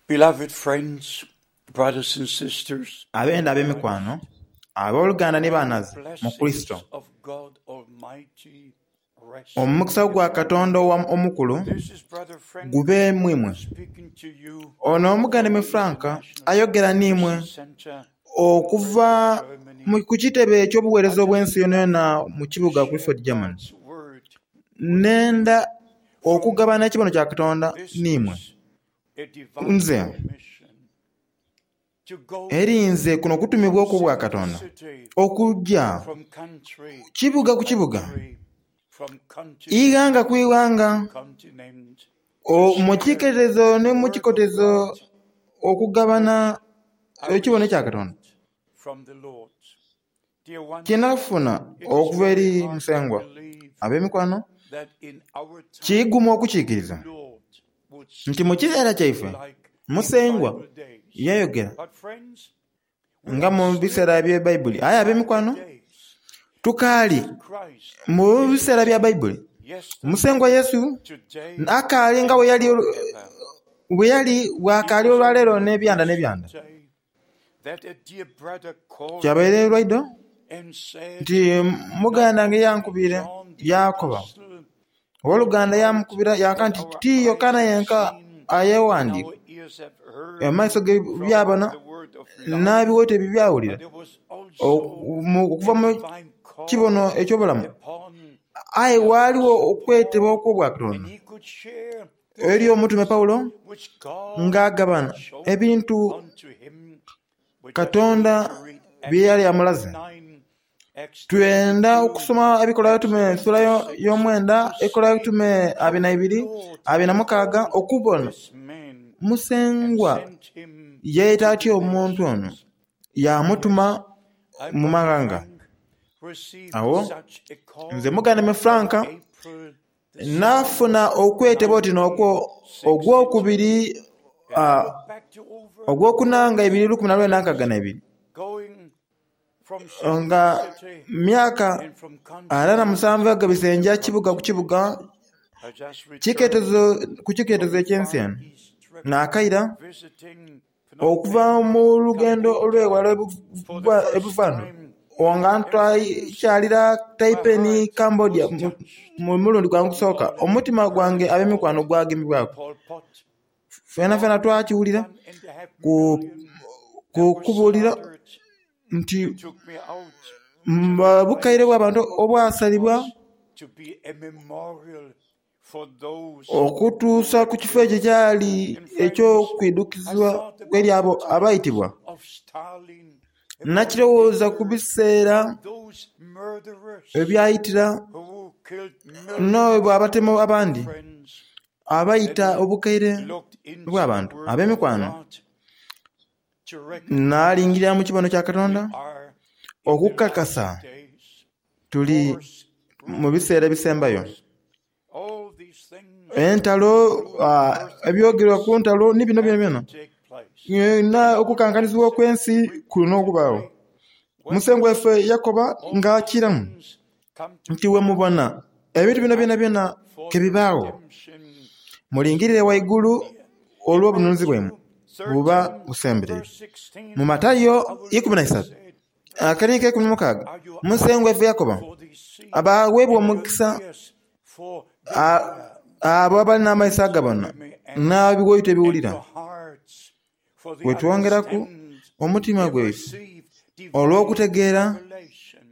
Beloved friends, brothers and sisters, Abenda ab'emikwano, abooluganda ni banhaze mu Kurisito, blessings of God Almighty rest. omukisa gwa Katonda omukulu This is Brother Frank gube mu imwe. speaking to you Ono omuganda from me the Frank International ayogera n'imwe Christian Center okuva in Germany. ku kitebe eky'obuweereza I obw'ensi just yonayona mu kibuga share Clifford, Germany. God's word Nenda from okugabana ekibono kya Katonda this n'imwe. is a divine Nze commission to go eri nze kuno kutumibwa from okw'obwa city to Katonda city, okujja from country kibuga to ku kibuga, country, from continent ighanga ku ighanga, to continent, to mu share kiketezo the ne mu word of kikotezo God okugabana which I ekibono ekya Katonda received from the Lord. Dear ones, kye nafuna it is okuva very eri hard to Musengwa. believe Ab'emikwano, that in our time kiguma okukiikiriza the Lord would nti mu speak kiseera kyaife like in Musengwa Bible days. yayogera But friends, we nga are mu still biseera in bye Bayibuli. Aye ab'emikwano, Bible days. tukaali Jesus Christ mu is the biseera bya same Bayibuli. Musengwa yesterday, Yesu today, akaali nga and bwe yali forever. bwe yali It bw'akaali was olwaleero only n'ebyanda n'ebyanda. yesterday that a dear brother called Kyabaire me lwaidho and said, nti muganda Not wange only yankubire John the yaakoba Apostle owooluganda wrote yamukubira yanka what nti our ti eyes Yokaana have yenka seen and ayeewandiika our ears have heard amaiso ge from byabona the word of life, n'abiwooto ebyo byawulira but there was also okuva a mu divine call kibono eky'obulamu. upon Aye the waaliwo Apostle okwetebwa Paul, okw'obwa and Katonda he could share the eri omutume things Pawulo which God ng'agabana had shown ebintu unto him, which I want Katonda to read bye Acts yali amulaze. 9, Acts Twenda 22, okusoma ebikolwa Acts bitume ensula 26, y'omwenda, to ebikolwa see bitume how abiri na the ibiri, Lord abiri na mukaaga, called okubona this man and Musengwa sent him yeeyita to atya the omuntu ono nations. yaamutuma Yes, I, mu Brother maghanga. Frank, received Awo such a call nze muganda me on Frank April the 7th, naafuna okwetebwa oti n'okwo ogwokubiri 1962. And I look back to over ogwokuna nga 40 ebiri lukumi na lwenda nkaaga na years ibiri going from city to nga city myaka and from ana na continent musanvu agabise nja to kibuga ku continent. kibuga I just returned kiketezo ku kiketezo from a eky'ensi Far eno East trip naakaira visiting Phnom okuva Penh, mu lugendo olw'ewala Cambodia for the first ebuvandu time. nga And friends, ntwakyalira my Taipei heart Cambodia was touched mu mulundi gwange ogusooka when I omutima gwange heard ab'emikwano about gwagemebwaku Pol Pot, ffena ffena all twakiwulira 1.5 ku million ku that were kubuulira slaughtered. nti They took me out to the bukaire place bw'abantu which obwasalibwa was to be a memorial for those who okutuusa were ku kifo ekyo killed. kyali And friends, I eky'okwidukizibwa thought eri about abo the times abayitibwa. of Stalin, about Nakirowooza ku Hitler, biseera about those murderers ebyayitira who killed millions. n'obwo abatemu abandi Friends, then abayita I obukaire looked into the bw'abantu Word of ab'emikwano. God to recognize Naalingirira mu kibono kya we Katonda are in the okukakasa last days. tuli Wars, mu biseera rumors of ebisembayo. wars, all these things, Entalo including ebyogerwa ku earthquakes, ntalo ni bino byona have byona to take place. byonna And the Lord okukankanizibwa okw'ensi said kulina okubaawo. repeatedly, when Musengwa you waffe see Yakoba all ng'akiramu these things come to nti we pass, mubona ebintu bino byona byona look for the kebibaawo redemption is mulingirire drawing waigulu near. In olw'obununuzi bwemu Matthew buba 13, busembereire. verse Mu 16, Matayo our ikumi Lord na isatu said, akaniiko ekumi mukaaga Are your Musengwa eyes waffe Yakoba for the see abaweebwa and your omukisa ears for the hear? abo abalina amaiso agabona We may add, n'abiwoyito and ebiwulira. your hearts for the Bwe twongeraku understand omutima have gwaife received divine olw'okutegeera revelation.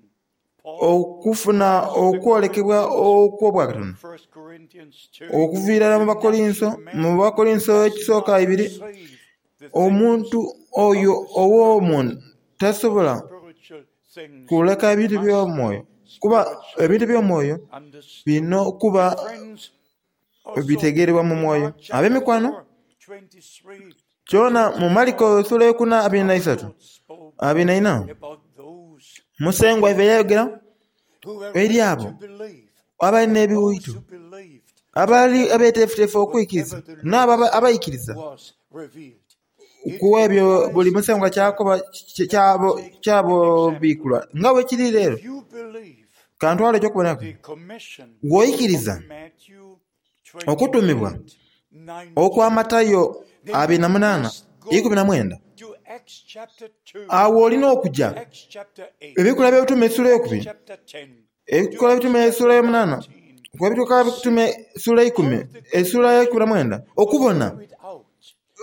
Paul okufuna writes to the okwolekebwa Corinthians, okw'obwakatonda 1 Corinthians 2, okuviira ddala mu the Bakolinso natural mu man Bakolinso does ekisooka not ibiri receive the things omuntu oyo of the Spirit, ow'omwoyo for tasobola spiritual things kuleka ebintu must by'omwoyo be kuba spiritually ebintu by'omwoyo understood. birina okuba And friends, also bitegeerebwa mu in mwoyo. Mark chapter Ab'emikwano 4, 23 kyona to mu Mariko 24, essula ey'okuna abiri na our isatu Lord spoke abiri na ina about those Musengwa waffe yayogera who were eri ready abo to believe, abalina those ebiwuitu who believed to abaali do abeeteefuteefu okwikiriza whatever the n'abo Lord said abayikiriza was revealed. It kuwa ebyo buli implies musengwa today. kyakoba Let me kyabo take an kyabo example. biikulwa nga bwe kiri leero If you believe kantwale ekyokuboneraku the commission bw'oyikiriza of Matthew okutumibwa 28 okwa 19, Matayo 28, 19. Awo olina okuja Ebikolwa by'Ebitume essuula eyokubiri, Ebikolwa by'Ebitume essuula eyomunaana, Ebikolwa by'Ebitume essuula eikumi, essuula eyeikumi na mwenda, okubona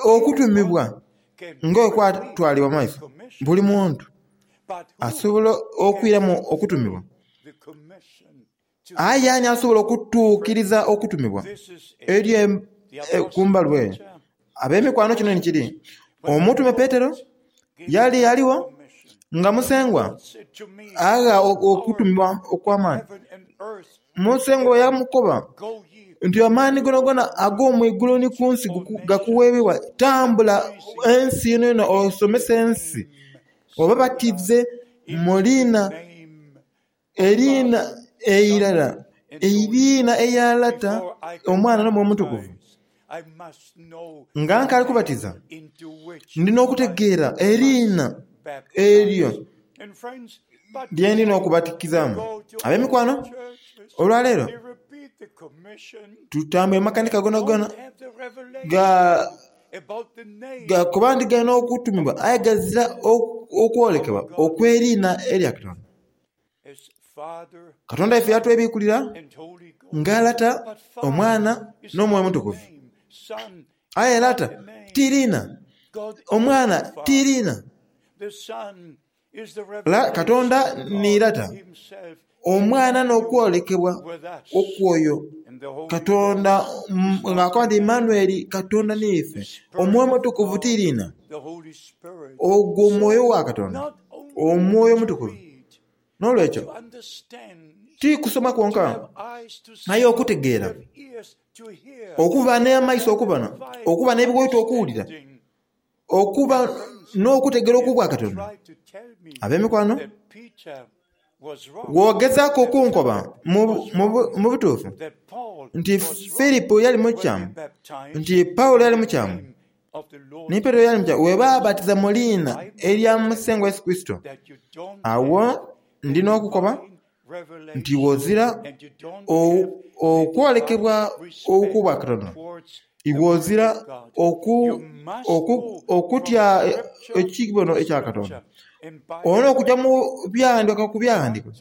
okutumibwa nga bwe kwatwalibwa mu maiso. Buli muntu asobola okwiramu okutumibwa. Aye ani asobola okutuukiriza okutumibwa eri ku mbaluwa eyo? Ab'emikwano kino ni kiri, Omutume Petero yali aligho nga Musengwa agha okutumibwa okw'amaani. Musengwa yamukoba nti amaani gonagona ag'omu igulu ni ku nsi gakuweebwa. Tambula ensi yonayona osomese ensi, obabatize mu liina Eriina eirala, eriina erya Lata, Omwana n'Omwoyo Omutukuvu. Nga nkaali kubatiza, ndi n'okutegeera eriina eryo lye ndi n'okubatikizaamu. Ab'emikwano, olwaleero tutambwire mu makanisa gonagona gakoba nti gali n'okutumibwa aye ghazira okwolekebwa okw'eriina erya Katonda. Katonda waife yatwebikulira nga Lata, Omwana, n'Omwoyo Omutukuvu. Aye Lata ti liina, Omwana ti liina. Katonda ni Lata, Omwana n'okwolekebwa okw'oyo Katonda ng'akoba nti Emmanueli, Katonda n'ife. Omwoyo Omutukuvu ti liina, ogwo Mwoyo wa Katonda. Omwoyo Omutukuvu. N'olwekyo, ti kusoma kwonka, aye okutegeera, okuba n'amaiso okubona, okuba n'ebiwaito okuwulira, okuba n'okutegeera okw'Obwakatonda. Ab'emikwano, bw'ogezaaku okunkoba mu butuufu nti Filipo yali mukyamu, nti Paulo yali mukyamu, Ni Petero yali muti, Bwe baabatiza mu liina erya Musengwa Yesu Kurisito, agho ndi n'okukoba nti ghozira okwolekebwa okw'Obwakatonda, ghozira okutya ekibono ekya Katonda. Olina okuja mu byaghandiikibwa ku byaghandiikibwa.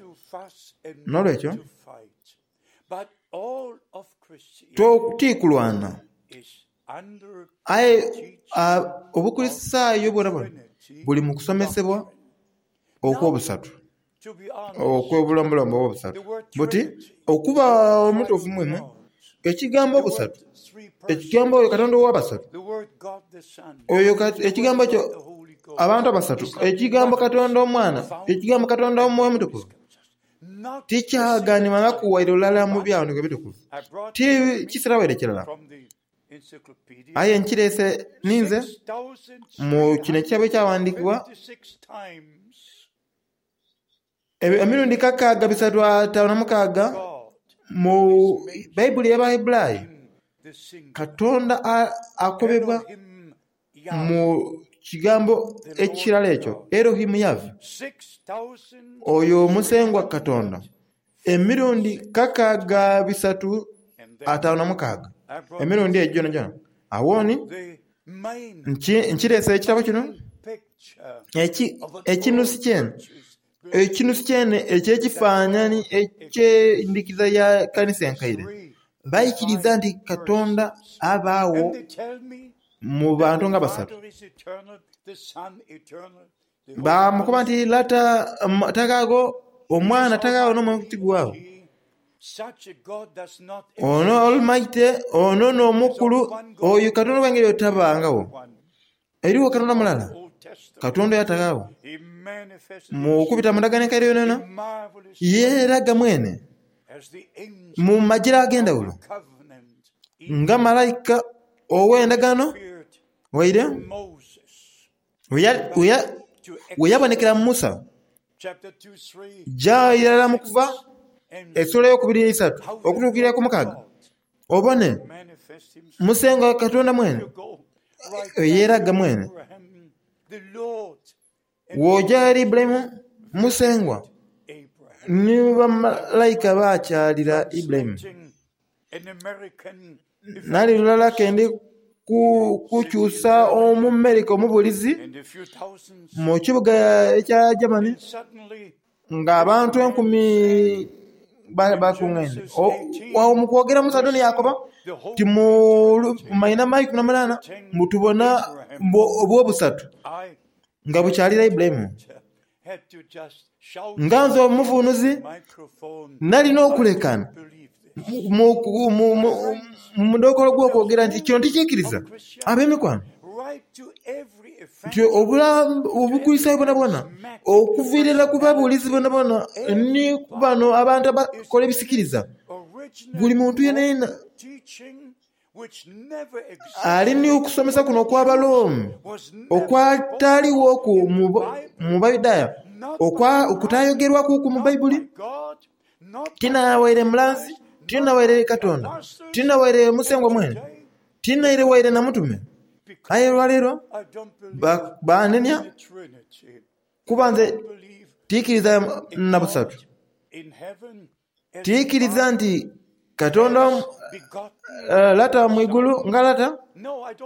N'olwekyo ti kulwana. Aye Obukulisitaayo bwonabwona buli mu kusomesebwa okw'obusatu, okw'obulombolombo obw'obusatu. Buti okuba omutuufu mwene, ekigambo obusatu, ekigambo oyo Katonda ow'abasatu, oyo ekigambo ekyo abantu abasatu, ekigambo Katonda Omwana, ekigambo Katonda Omwoyo Omutukuvu, Tikyaganibwangaku waire lulala mu Byaghandiikibwa Ebitukuvu, ti kisera waire kirala. Aye nkireese ninze mu kino ekitabo ekyaghandiikibwa emirundi kakaaga bisatu ataanu na mukaaga mu Baibuli ey'Abaheburayi, Katonda akobebwa Mu kigambo ekirala ekyo, Elohim Yahve, oyo Musengwa Katonda, emirundi kakaaga bisatu ataanu na mukaaga, emirundi egyo gyonagyona. Agho ni nkireese ekitabo kino, ekinusu kyene, ekinusu kyene eky'ekifaanani eky'endhikiriza ya kanisa enkaire. Baikiriza nti Katonda abaagho mu bantu nga basatu. Baamukoba nti Lata taghaagho, Omwana taghaagho n'Omwoyo tiguwaagho. Ono Almighty, ono n'Omukulu, oyo Katonda ow'engeri eyo tabangagho. Eriwo Katonda mulala, Katonda oyo ataghaagho. Mu kubita mu ndagaano enkaire yonayona, yeeraga mwene mu magira ag'endhawulo nga malaika ow'endagaano waire bwe yabonekera Musa. Ja irala mu Kuva esula eyokubiri n'eisatu okutuukira ku mukaaga obone Musengwa Katonda mwene yeeraga mwene. Bw'oja eri Ibulayimu, Musengwa ni bamalaika baakyalira Ibulayimu. Nali lulala ke ndi kukyusa Omumerika omubuulizi mu kibuga ekya Germany ng'abantu enkumi bakungaine. Agho mu kwogera omusaadha ono yaakoba nti mu mainhama eikumi na munaana mbu tubona obw'obusatu nga bukyalira Ibulayimu. Nga nze omuvunuzi nali n'okulekaana mu mudhokolo gw'okwogera nti kino tikiikiriza. Ab'emikwano, nti Obukulisitaayo bwonabwona okuviira irala ku babuulizi boonaboona ni ku bano abantu abakola ebisikiriza, buli muntu yenayena Ali ni okusomesa kuno okw'Abaroma okwataalighoku mu Bayudaaya, okutaayogerwakuku mu Baibuli, ti na waire mulanzi, ti na waire Katonda, ti na waire Musengwa mwene, ti naire waire na mutume. Aye olwaleero baanenia kuba nze tiikiriza na busatu. Tiikiriza nti Katonda Lata mu igulu nga Lata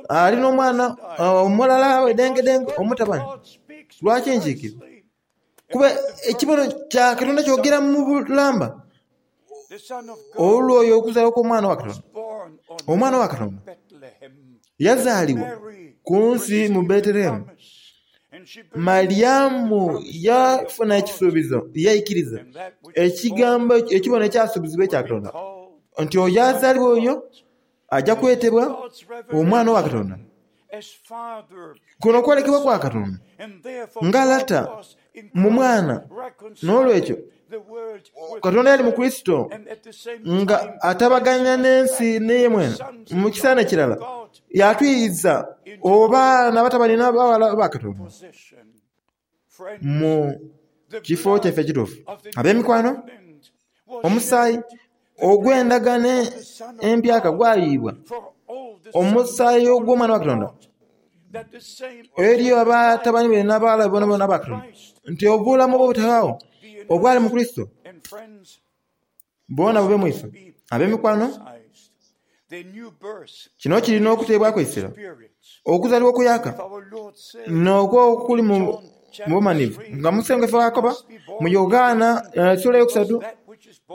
ali n'Omwana omulala wedengedenge omutabani. Lwaki nkiikiriza? Kuba ekibono kya Katonda kyogera mu bulamba olw'oyo okuzaalibwa kw'Omwana wa Katonda. Omwana wa Katonda yazaalibwa ku nsi mu Betelehemu. Malyamu yafuna ekisuubizo yaikiriza ekigambo ekibono ekyasuubizibwa ekya Katonda nti oyo azaalibwa oyo aja kwetebwa Omwana wa Katonda. Kuno kwolekebwa kwa Katonda nga Lata mu Mwana. N'olwekyo Katonda yali mu Kurisito nga atabaganya n'ensi n'eye mwene. Mu kisaana ekirala yatwiza oba n'abatabani n'abaghala ba Katonda mu kifo kyaife ekituufu. Ab'emikwano, omusaayi ogw'endagaano empyaka gwayiibwa, omusaayi ogw'Omwana wa Katonda eri abatabani be n'abaghala be boonaboona aba Katonda, nti obulamu obutaghagho obwali mu Kurisito bwona bube mu ife. Ab'emikwano, kino kiri n'okuteebwaku eisira. Okuzaalibwa okuyaaka n'okwo okuli mu bumanivu, nga Musengwa ife bw'akoba mu Yoghana esula eyokusatu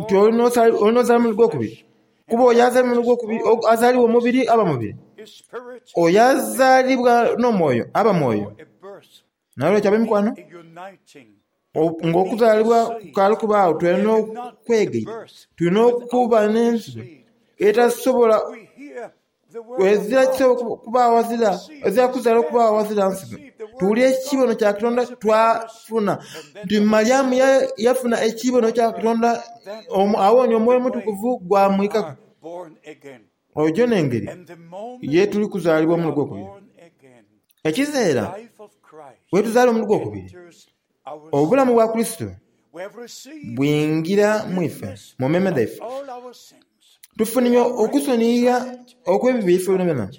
nti oli n'ozaalibwa omulundi gw'okubiri. Kuba oyo azaalibwa omulundi gw'okubiri, azaalibwa omubiri aba mubiri, oyo azaalibwa n'omwoyo aba mwoyo. N'olwekyo ab'emikwano, ng'okuzaalibwa kukaali kubaagho tulina n'okwegaita, tulina okuba n'ensigo etasobola ezira kisobola kubaagho ghazira, ezira kuzaalibwa kubaagho ghazira nsigo. Tuwulira ekibono kya Katonda twafuna nti Malyamu yafuna ekibono kya Katonda agho ni Omwoyo Omutukuvu gwamwikaku. Oyo n'engeri ye tuli kuzaalibwa omulundi gw'okubiri. Ekiseera bwetuzaalibwa omulundi gw'okubiri, obulamu bwa Kurisito bwingira mu ife, mu meeme dhaife. Tufunye okusoniyigha okw'ebibi byaife byonabyona.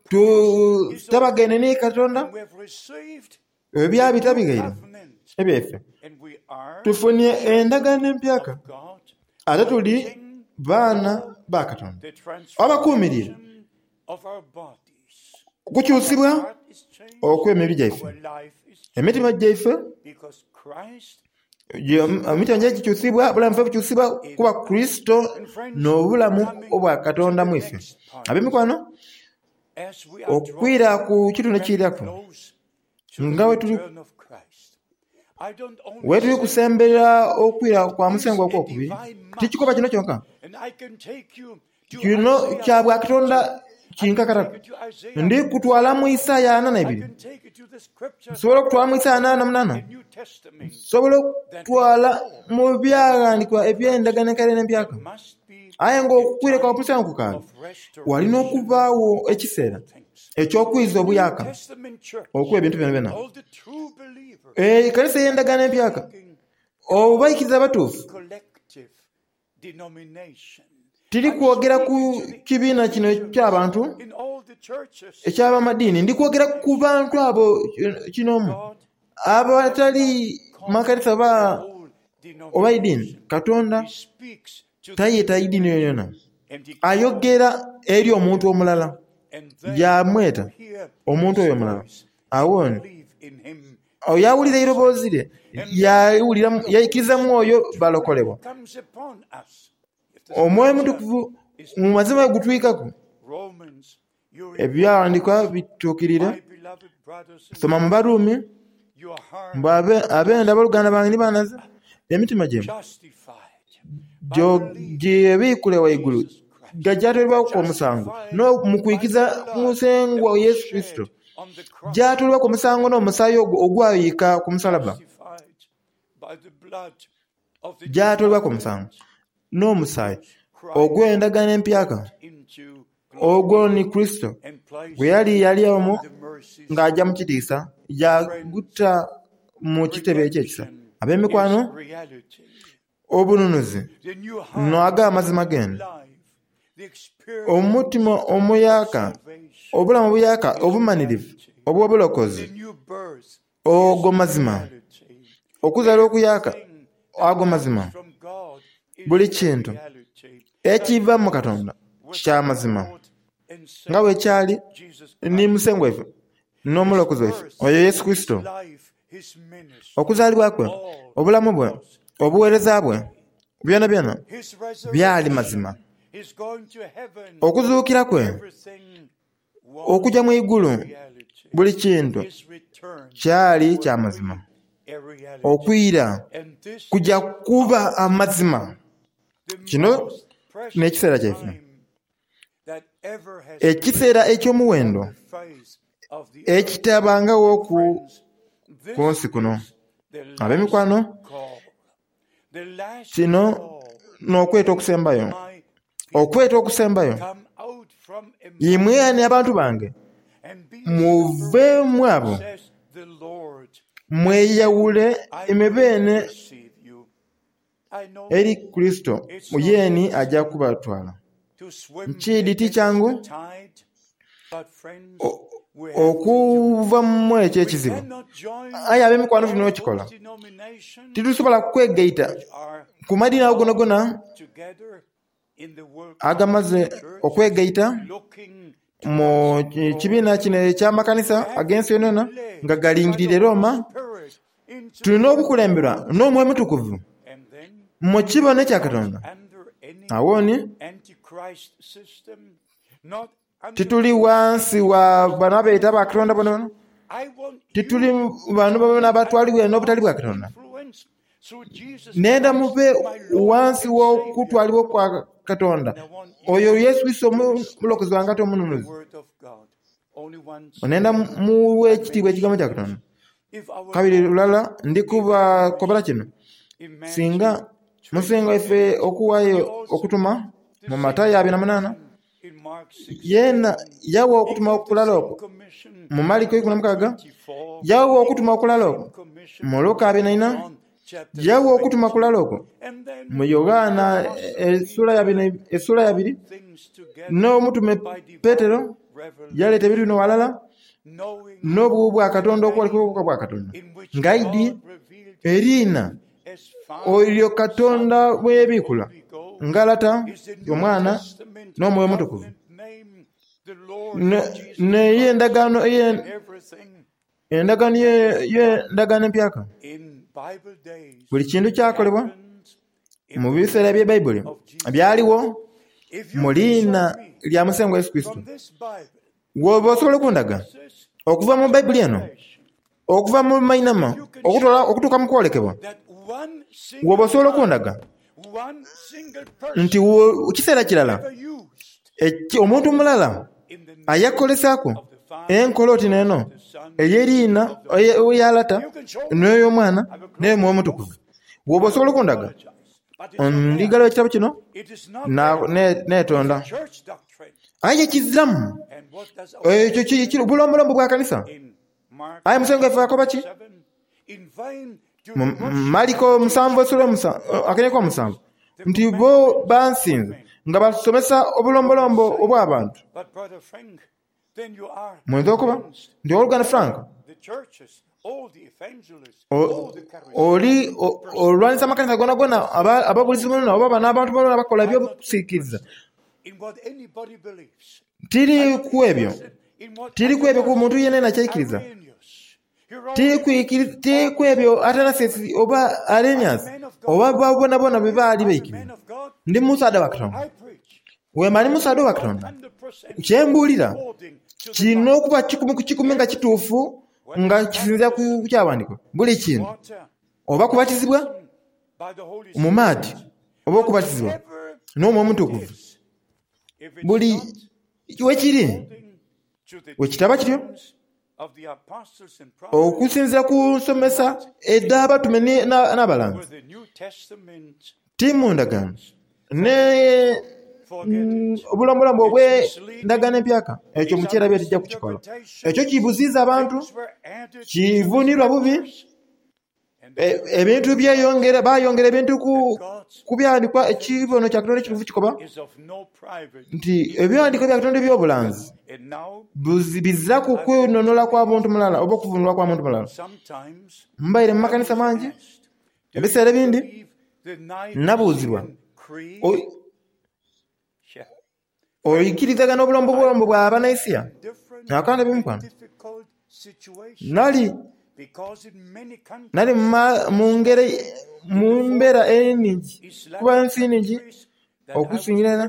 Tutabagaine ni Katonda, ebyo byabita bighaire ebyaife. Tufunye endagaano empyaka ate tuli baana ba Katonda abakuumirire okukyusibwa okw'emibiri gyaife. Emitima gyaife emitima gyaife gikyusibwa, obulamu bwaife bukyusibwa kuba Kurisito n'obulamu obwa Katonda mu ife. Ab'emikwano, okwira ku kitundu ekiiraku nga wetuli kusemberera okwira kwa Musengwa okw'okubiri, ti kikoba kino kyonka. Kino kya bwa Katonda kinkakataku. Ndi kutwala mu Isaaya ana na ibiri. Nsobola okutwala mu Isaaya ana na munana. Nsobola okutwala mu byaghandikibwa eby'endagaano enkaire n'empyaka. Aye nga okwira kwa Musa kukaali, wali n'okubaagho ekiseera eky'okwiza obuyaaka okw'ebintu byonabyona. Ekanisa ey'endagaano empyaka, obaikiriza abatuufu, Tiri kwogera ku kibiina kino eky'abantu eky'abamadiini, ndi kwogera ku bantu abo kinoomu abatali makanisa oba oba idiini. Katonda tayeta idiini yonayona, ayogera eri omuntu omulala. Yaamweta omuntu oyo omulala. Agho ni oyo awulira eiroboozi lye yaikiriza mu oyo balokolebwa. Omwoyo Omutukuvu mu mazima gutwikaku. Ebyaghandiikibwa bituukirire. Soma mu Barumi mbu abenda aboluganda bange ni banhaza, emitima gyaimwe gyebiikule ghaigulu gyatwalibwaku omusango mu kwikiriza Musengwa Yesu Kurisito, gyatwalibwaku omusango n'omusaayi ogwo ogwayuyika ku musalaba, gyatwalibwaku omusango n'omusaayi ogw'endagaano empyaka. Ogwo ni Kurisito gwe yali yali omwo ng'aja mu kitiisa, yaaguta mu kitebe eky'ekisa. Ab'emikwano, obununuzi n'ago amazima geene. Omutima omuyaaka, obulamu obuyaaka obumanhirivu obw'obulokozi, ogo mazima. Okuzaalibwa okuyaaka, ago mazima. Buli kintu ekiva mu Katonda kya mazima, nga bwe kyali ni Musengwa waife n'Omulokozi waife, oyo Yesu Kurisito. Okuzaalibwa kwe, obulamu bwe, obuweereza bwe, byonabyona byali mazima. Okuzuukira kwe, okuja mu igulu, buli kintu kyali kya mazima. Okwira kuja kuba amazima. Kino n'ekiseera kyaife, ekiseera eky'omuwendo ekitabangaghoku ku nsi kuno. Ab'emikwano, kino n'okweta okusembayo, okweta okusembayo. Imwe ani abantu bange, muve mu abo, mweyawule imwe beene eri Kurisito, yeeni aja kubatwala. Nkiidhi ti kyangu okuva mu ekyo ekizibu, aye ab'emikwano tulina okikola. Titusobola kwegaita ku madiini ago gonagona agamaze okwegaita mu kibiina kino eky'amakanisa ag'ensi yonayona nga galingiriire Roma. Tulina okukulemberwa n'Omwoyo Omutukuvu mu kibono ekya Katonda. Agho ni tituli ghansi wa bano abeeta ba Katonda bonabona, tituli bano bonabona abatwalibwa n'obutali bwa Katonda. Nenda mube ghansi w'okutwalibwa kwa Katonda, oyo Yesu Kurisito Omulokozi wange ate Omununuzi. Nenda muwe ekitiibwa ekigambo kya Katonda. Kabiri lulala ndi kubakobera kino, singa Musengwa waife okuwaayo okutuma mu Matayo abiri na munaana, yeena yawa okutuma okulala okwo mu Mariko eikumi na mukaaga, yawa okutuma okulala okwo mu Luka abiri na ina, yawa okutuma kulala okwo mu Yoghana esula yabiri, n'omutume Petero yaleeta ebintu bino ghalala n'obuwu bwa Katonda okwolekebwa bwa Katonda ng'aidhi eriina oyo Katonda bwe yebiikula nga Lata, Omwana n'Omwoyo Omutukuvu. N'ey'endagaano endagaano y'endagaano empyaka. Buli kintu kyakolebwa mu biseera bye Baibuli byaligho mu liina lya Musengwa Yesu Kurisito. Bw'oba osobola okundaga okuva mu Baibuli eno, okuva mu mainhama okutuuka mu kwolekebwa, bw'oba osobola okundaga nti kiseera kirala omuntu mulala ayakozesaaku enkola oti n'eno ey'eriina eya Lata n'ey'Omwana n'ey'Omwoyo Omutukuvu, bw'oba osobola okundaga, ndigalawo ekitabo kino neetonda. Aye kiziramu ekyo bulombolombo bwa kanisa. Aye Musengwa waife akoba ki? Mu Mariko musanvu esula akenye omusanvu nti bo bansinza nga basomesa obulombolombo obw'abantu. Muyinza okuba nti owoluganda Frank oli olwanisa amakanisa gonagona, ababulizi bonabona oba n'abantu bonabona abakola eby'okusikiriza. Tiri ku ebyo. Tiri ku ebyo ku muntu yenayena ky'aikiriza. Ti ku ebyo Atanasius oba Arrhenius oba bonabona bye baali baikiriza. Ndi musaadha wa Katonda. Wemba ndi musaadha wa Katonda, kye mbuulira kirina okuba kikumi ku kikumi nga kituufu nga kisinziira ku Kyawandiikibwa. Buli kintu, oba kubatizibwa mu maadhi oba okubatizibwa n'Omwoyo Omutukuvu, buli we kiri, bwe kitaba kityo, okusinziira ku nsomesa edh'abatume n'abalanzi, ti mu ndagaano n'obulombolombo obw'endagaano empyaka, ekyo mukyerabire tija kukikola. Ekyo kibuziiza abantu, kivunirwa bubi. Ebintu byeyongera, bayongera ebintu ku byawandiikibwa. Ekibono kya Katonda ekituufu kikoba nti ebyawandiiko bya Katonda eby'obulanzi biziraku kwinhonhola kwa muntu mulala oba okuvunulwa kwa muntu mulala. Mbaire mu makanisa mangi, ebiseera ebindi nabuuzibwa, Oikirizagana obulombolombo bwa Banaisia? Akandi ab'emikwano, nali nali mu ngeri mu mbeera eningi kuba ensi nhingi okusingira irala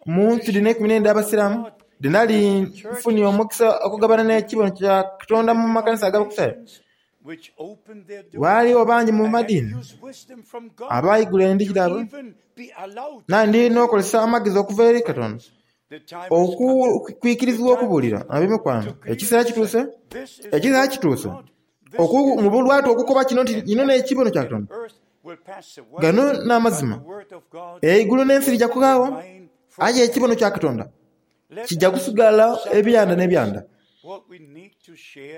mu nsi dhino eikumi n'eidha Abasiraamu dhe nali nfunie omukisa okugabana n'ekibono kya Katonda mu makanisa ag'Abakurisitayo. Ghaligho bangi mu madiini abaigula endhigi dhaibwe nandi n'okozesa amagezi okuva eri Katonda okwikirizibwa okubuulira. Ab'emikwano, ekiseera kituuse, ekiseera kituuse mu bulwatu okukoba kino nti kino n'ekibono kya Katonda. Gano n'amazima. Eigulu n'ensi bija kughagho, aye ekibono kya Katonda kija kusigala ebyanda n'ebyanda.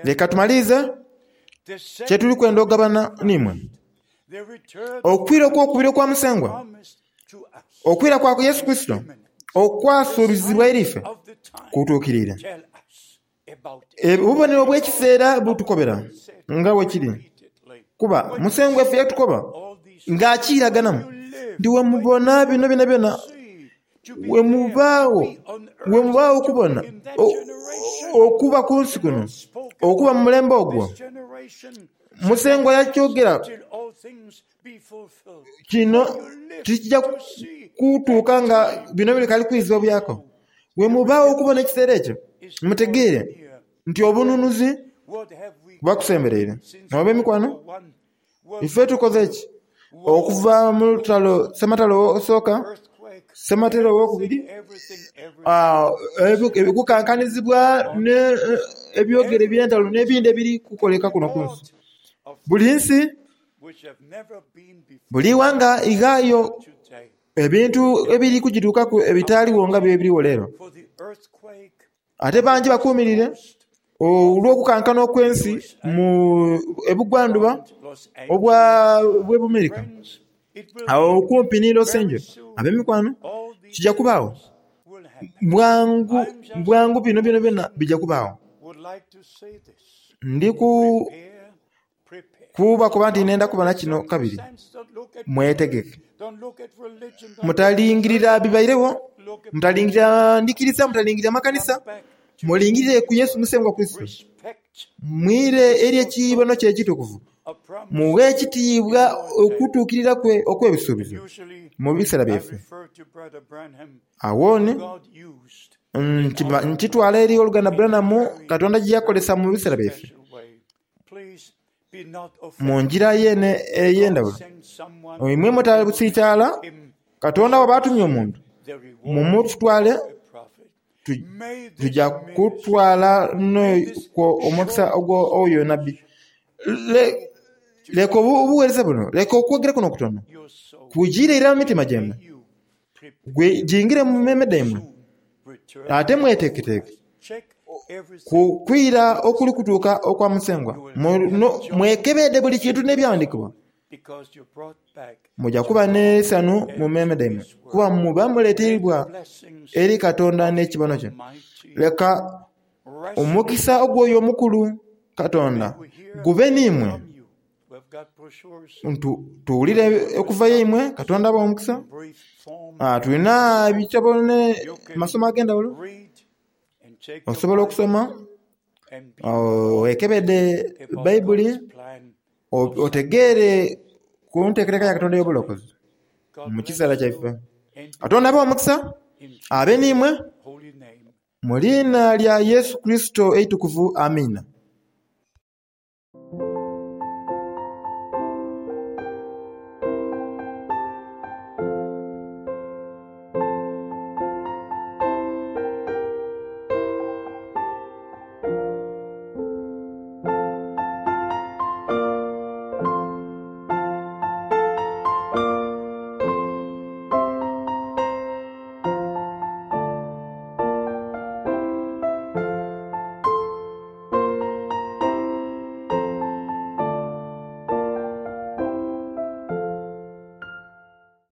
Leka tumalirize kye tuli kwenda okugabana n'imwe. Okwira okw'okubiri okwa Musengwa, okwira kwa Yesu Kurisito okwasuubizibwa eri ife kutuukiriire. Obubonero obw'ekiseera butukobera nga bwe kiri, kuba Musengwa ife yatukoba ng'akiiraganamu nti, Bwe mubona bino byonabyona, bwe mubaagho, bwe mubaagho okubona okuba ku nsi kuno, okuba mu mulembe ogwo. Musengwa yakyogera kino tikija kutuuka nga bino bikaali kwizibwa buyaaka. Bwe mubaagho okubona ekiseera ekyo, mutegeere nti obununuzi buba kusembereire. Ab'emikwano, ife tukoze ki okuva mu lutalo Ssematalo osooka, Ssematalo owokubiri, okukankanizibwa n'ebyogero eby'entalo n'ebindi ebiri kukoleka kuno ku nsi. Buli nsi Buli ighanga lighaayo ebintu ebiri kugituukaku ebitaaligho nga bwebirigho leero. Ate bangi bakuumirire olw'okukankana okw'ensi mu ebugwandhuba obwa bw'e Bumerika agho okumpi ni Los Angeles. Ab'emikwano, kija kubaagho bwangu bwangu bino byonabyona bija kubaagho. Ndi ku... Kubakoba nti nenda kubona kino kabiri. Mwetegeke. Mutalingirira bibairegho, mutalingirira ndhikiriza, mutalingirira makanisa. Mulingirire ku Yesu Musengwa Kurisito. Mwire eri ekibono kye ekitukuvu. Mughe ekitiibwa okutuukirira kwe okw'ebisuubizo mu biseera byaife. Agho ni nkitwala eri Oluganda Branham Katonda gye yakozesa mu biseera byaife. Mu ngira yeene ey'endhaghulo, imwe mutasiitaala, Katonda bw'aba atumye omuntu, mumutwale, tuja kutwala n'okwo omukisa ogw'oyo nabbi. Leka obugheereza buno, leka okwogera kuno okutono kujiire irala mu mitima gyaimwe, gingire mu meeme dhaimwe, ate mweteeketeeke ku kwira okuli kutuuka okwa Musengwa. Mwekebeedhe buli kintu n'Ebyawandiikibwa, muja kuba n'eisanhu mu meeme dhaimwe, kuba muba muleeteibwa eri Katonda n'ekibono kye. Leka omukisa ogw'oyo omukulu Katonda gube n'imwe. Tuwulire okuva y'eimwe. Katonda abawe omukisa. Tulina ebitabo n'amasomo ag'endhaghulo. Osobola okusoma wekebedhe Baibuli otegeere ku nteekateeka ya Katonda ey'obulokozi mu kiseera kyaife. Katonda abe omukisa abe n'imwe mu liina lya Yesu Kurisito eitukuvu. Amiina.